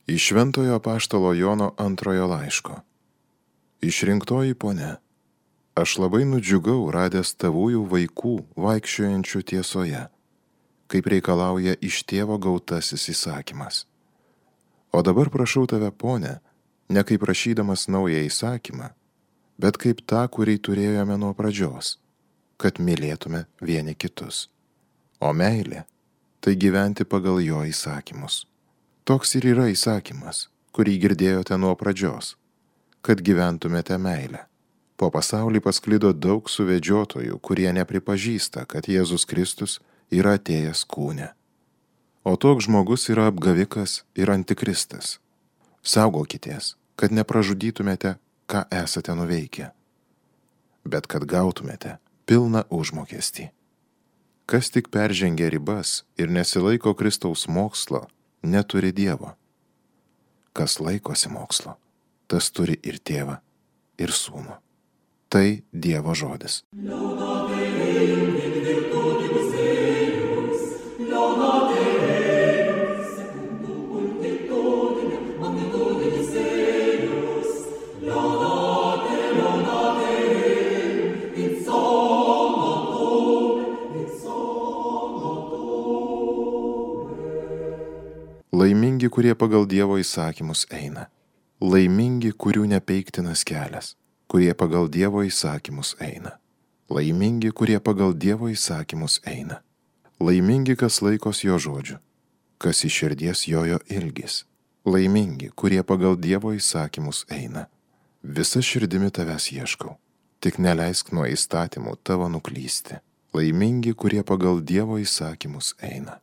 Iš Šventojo apaštalo Jono antrojo laiško. Išrinktoji ponia, aš labai nudžiugau radęs tavųjų vaikų vaikščiojančių tiesoje, kaip reikalauja iš tėvo gautasis įsakymas. O dabar prašau tave, ponia, ne kaip prašydamas naują įsakymą, bet kaip tą, kurį turėjome nuo pradžios, kad mylėtume vieni kitus. O meilė – tai gyventi pagal jo įsakymus. Toks ir yra įsakymas, kurį girdėjote nuo pradžios, kad gyventumėte meilę. Po pasaulį pasklido daug suvedžiotojų, kurie nepripažįsta, kad Jėzus Kristus yra atėjęs kūne. O toks žmogus yra apgavikas ir antikristas. Saugokitės, kad nepražudytumėte, ką esate nuveikę, bet kad gautumėte pilną užmokestį. Kas tik peržengia ribas ir nesilaiko Kristaus mokslo, neturi Dievo. Kas laikosi mokslo, tas turi ir tėvą, ir sūnų. Tai Dievo žodis. Laimingi, kurie pagal Dievo įsakymus eina. Laimingi, kurių nepeiktinas kelias, kurie pagal Dievo įsakymus eina. Laimingi, kurie pagal Dievo įsakymus eina. Laimingi, kas laikos jo žodžių, kas iš širdies jojo ilgis. Laimingi, kurie pagal Dievo įsakymus eina. Visa širdimi tavęs ieškau, tik neleisk nuo įstatymų tavo nuklysti. Laimingi, kurie pagal Dievo įsakymus eina.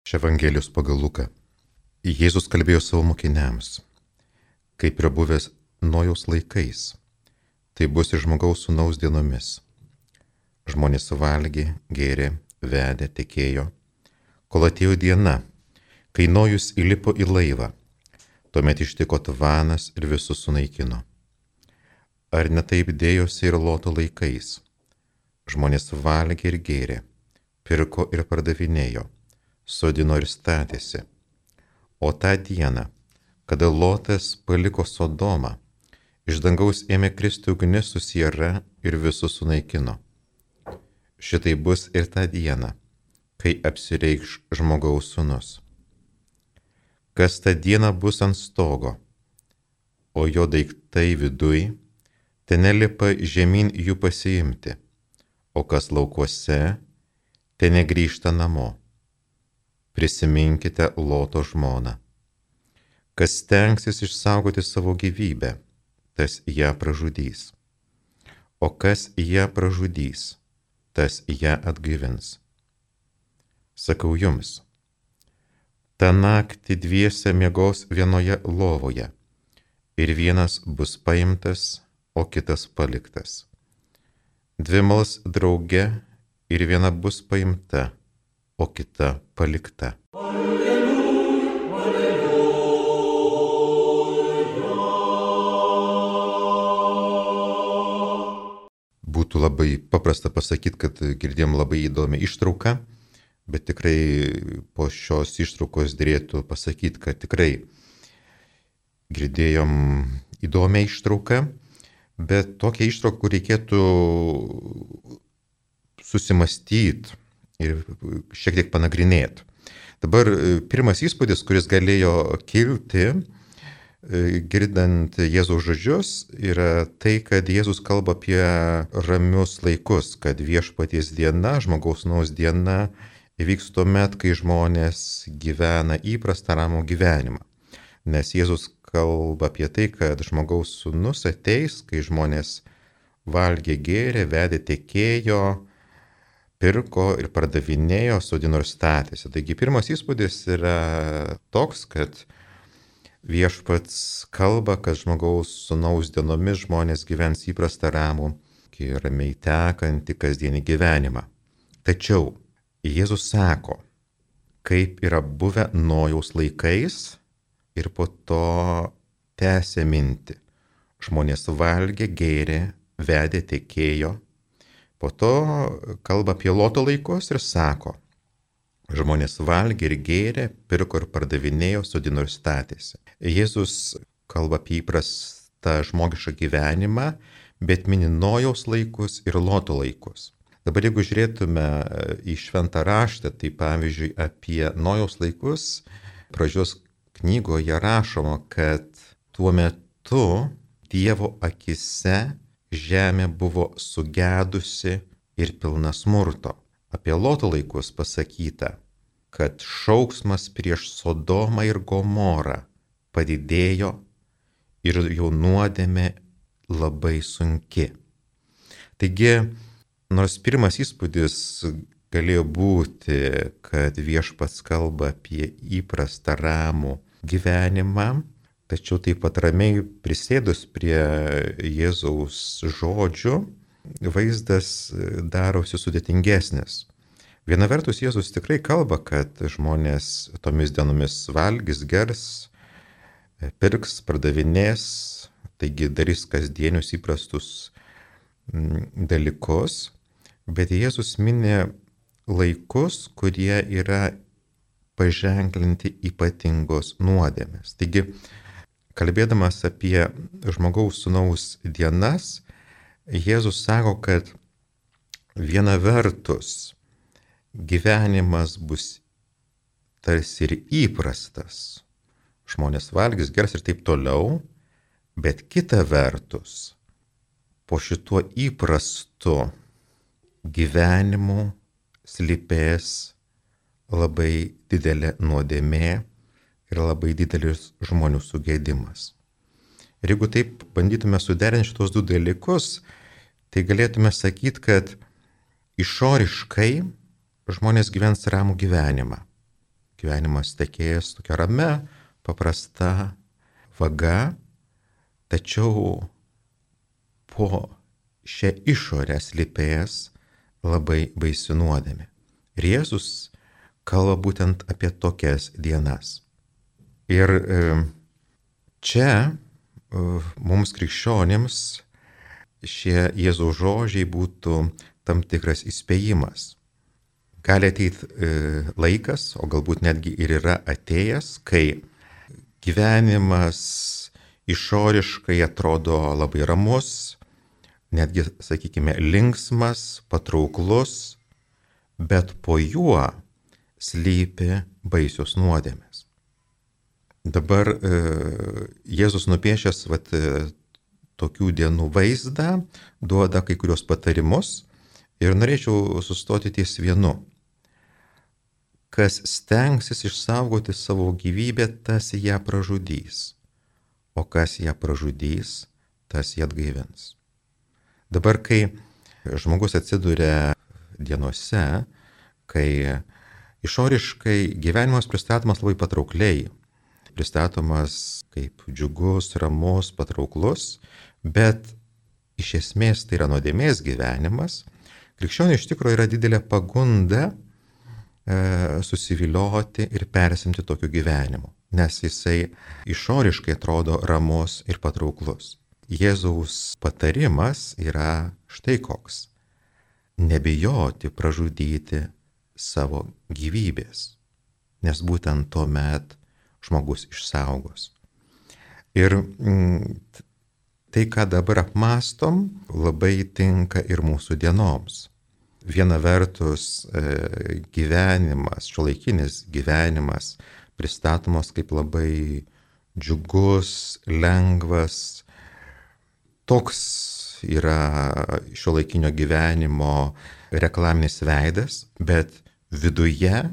Iš Evangelijos pagal Luką. Jėzus kalbėjo savo mokiniams, kaip yra buvęs Nojaus laikais, tai bus ir žmogaus sūnaus dienomis. Žmonės valgė, gėrė, vedė, tekėjo, kol atėjo diena, kai Nojus įlipo į laivą, tuomet ištiko tvanas ir visus sunaikino. Ar ne taip dėjosi ir Loto laikais? Žmonės valgė ir gėrė, pirko ir pardavinėjo, sodino ir statėsi. O tą dieną, kada Lotas paliko Sodomą, iš dangaus ėmė kristi ugnis su siera ir visus sunaikino. Šitai bus ir tą dieną, kai apsireikš žmogaus sūnus. Kas tą dieną bus ant stogo, o jo daiktai viduj, ten nelipa žemyn jų pasiimti, o kas laukuose, ten negrįžta namo. Prisiminkite Loto žmoną. Kas stengsis išsaugoti savo gyvybę, tas ją pražudys. O kas ją pražudys, tas ją atgaivins. Sakau jums, tą naktį dviese miegos vienoje lovoje, ir vienas bus paimtas, o kitas paliktas. Dvi mals drauge, ir viena bus paimta, o kita palikta. Būtų labai paprasta pasakyti, kad girdėjom labai įdomią ištrauką, bet tikrai po šios ištraukos dėrėtų pasakyti, kad tikrai girdėjom įdomią ištrauką, bet tokią ištrauką, kur reikėtų susimastyti ir šiek tiek panagrinėti. Dabar pirmas įspūdis, kuris galėjo kilti, girdant Jėzaus žodžius, yra tai, kad Jėzus kalba apie ramius laikus, kad viešpaties diena, žmogaus sūnaus diena įvyks tuomet, kai žmonės gyvena įprastą ramų gyvenimą. Nes Jėzus kalba apie tai, kad žmogaus sūnus ateis, kai žmonės valgė, gėrė, vedė, tekėjo, pirko ir pardavinėjo, sodino ir statėsi. Taigi pirmas įspūdis yra toks, kad viešpats kalba, kad žmogaus sūnaus dienomis žmonės gyvens įprastą ramų, ramiai tekantį kasdienį gyvenimą. Tačiau Jėzus sako, kaip yra buvę Nojaus laikais ir po to tęsė mintį. Žmonės valgė, gėrė, vedė, tekėjo, Po to kalba apie Loto laikus ir sako, žmonės valgė ir gėrė, pirko ir pardavinėjo, sodino ir statėsi. Jėzus kalba apie įprastą žmogišką gyvenimą, bet mini Nojaus laikus ir Loto laikus. Dabar jeigu žiūrėtume į šventą raštą, tai pavyzdžiui apie Nojaus laikus, pradžios knygoje rašoma, kad tuo metu Dievo akise žemė buvo sugedusi ir pilna smurto. Apie Loto laikus pasakyta, kad šauksmas prieš Sodomą ir Gomorą padidėjo ir jų nuodėmė labai sunki. Taigi, nors pirmas įspūdis galėjo būti, kad viešpats kalba apie įprastą ramų gyvenimą, tačiau taip pat ramiai prisėdus prie Jėzaus žodžių, vaizdas darosi sudėtingesnis. Viena vertus Jėzus tikrai kalba, kad žmonės tomis dienomis valgys, gers, pirks, pardavinės, taigi darys kasdienius įprastus dalykus, bet Jėzus mini laikus, kurie yra paženklinti ypatingos nuodėmės. Taigi, kalbėdamas apie žmogaus sūnaus dienas, Jėzus sako, kad viena vertus gyvenimas bus tarsi ir įprastas. Žmonės valgys, gers ir taip toliau, bet kita vertus, po šituo įprastu gyvenimu slypės labai didelė nuodėmė ir labai didelis žmonių sugėdimas. Ir jeigu taip bandytume suderinti šitos du dalykus, tai galėtume sakyti, kad išoriškai žmonės gyvens ramų gyvenimą. Gyvenimas tekėjęs tokia ramia, paprasta vaga, tačiau po šią išorę slypės labai baisi nuodėmė. Ir Jėzus kalba būtent apie tokias dienas. Ir čia mums krikščionėms šie Jėzaus žodžiai būtų tam tikras įspėjimas. Gali ateiti laikas, o galbūt netgi ir yra atėjęs, kai gyvenimas išoriškai atrodo labai ramus, netgi, sakykime, linksmas, patrauklus, bet po juo slypi baisios nuodėmės. Dabar Jėzus nupiešęs tokių dienų vaizdą, duoda kai kurios patarimus ir norėčiau sustoti ties vienu. Kas stengsis išsaugoti savo gyvybę, tas ją pražudys, o kas ją pražudys, tas ją atgaivins. Dabar, kai žmogus atsiduria dienose, kai išoriškai gyvenimas pristatomas labai patraukliai, pristatomas kaip džiugus, ramus, patrauklus, bet iš esmės tai yra nuodėmės gyvenimas, krikščioniui iš tikrųjų yra didelė pagunda susivilioti ir persimti tokiu gyvenimu, nes jisai išoriškai atrodo ramus ir patrauklus. Jėzaus patarimas yra štai koks: nebijoti pražudyti savo gyvybės, nes būtent tuomet žmogus išsaugos. Ir tai, ką dabar apmastom, labai tinka ir mūsų dienoms. Viena vertus gyvenimas, šiuolaikinis gyvenimas pristatomas kaip labai džiugus, lengvas. Toks yra šiuolaikinio gyvenimo reklaminis veidas, bet viduje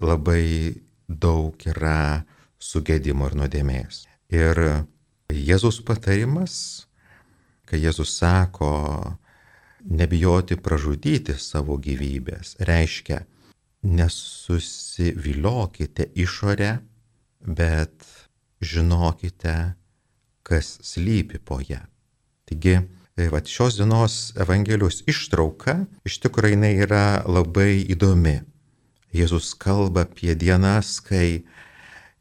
labai daug yra sugėdimo ir nuodėmės. Ir Jėzaus patarimas, kai Jėzus sako nebijoti pražudyti savo gyvybės, reiškia nesusiviliokite išorę, bet žinokite, kas slypi po ją. Taigi, šios dienos Evangelijos ištrauka iš tikrųjų jinai yra labai įdomi. Jėzus kalba apie dienas, kai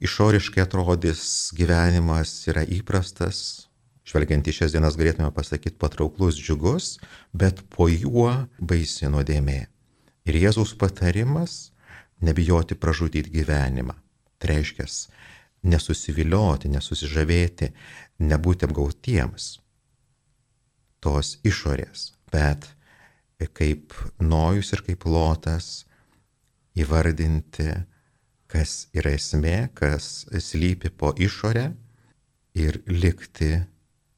išoriškai atrodys gyvenimas yra įprastas, žvelgiant į šias dienas galėtume pasakyti patrauklus, džiugus, bet po juo baisi nuodėmė. Ir Jėzaus patarimas - nebijoti pražudyti gyvenimą. Tai reiškia nesusivilioti, nesusižavėti, nebūti apgautiems tos išorės, bet kaip Nojus ir kaip Lotas įvardinti, kas yra esmė, kas slypi po išorę ir likti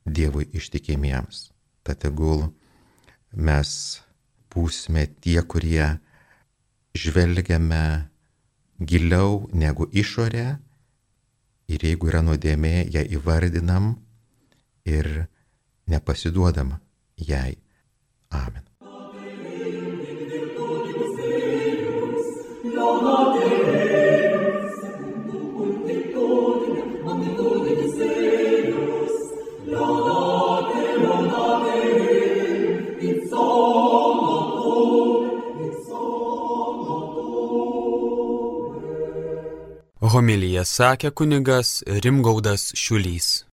Dievui ištikimiems. Tad tegul mes būsime tie, kurie žvelgiame giliau negu išorė ir jeigu yra nuodėmė, ją įvardinam ir nepasiduodam jai. Amen. Homiliją sakė kunigas Rimgaudas Šiulys.